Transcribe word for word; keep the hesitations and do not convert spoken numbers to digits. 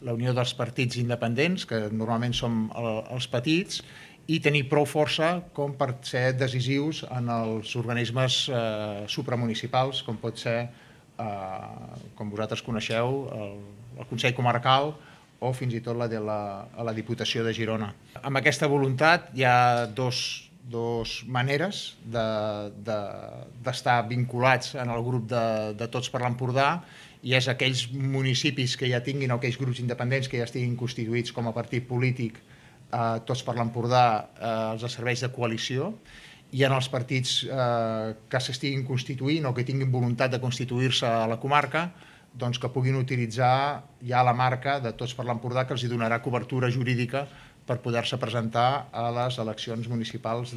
la unió dels partits independents, que normalment som els petits, i tenir prou força com per ser decisius en els organismes eh, supramunicipals, com pot ser, eh, com vosaltres coneixeu, el, el Consell Comarcal o fins i tot la de la, la Diputació de Girona. Amb aquesta voluntat hi ha dos, dos maneres d'estar de, de, vinculats en el grup de, de Tots per l'Empordà, i és aquells municipis que ja tinguin, o aquells grups independents que ja estiguin constituïts com a partit polític, eh, Tots per l'Empordà, eh, els serveis de coalició, i en els partits eh, que s'estiguin constituint o que tinguin voluntat de constituir-se a la comarca, doncs que puguin utilitzar ja la marca de Tots per l'Empordà, que els donarà cobertura jurídica per poder-se presentar a les eleccions municipals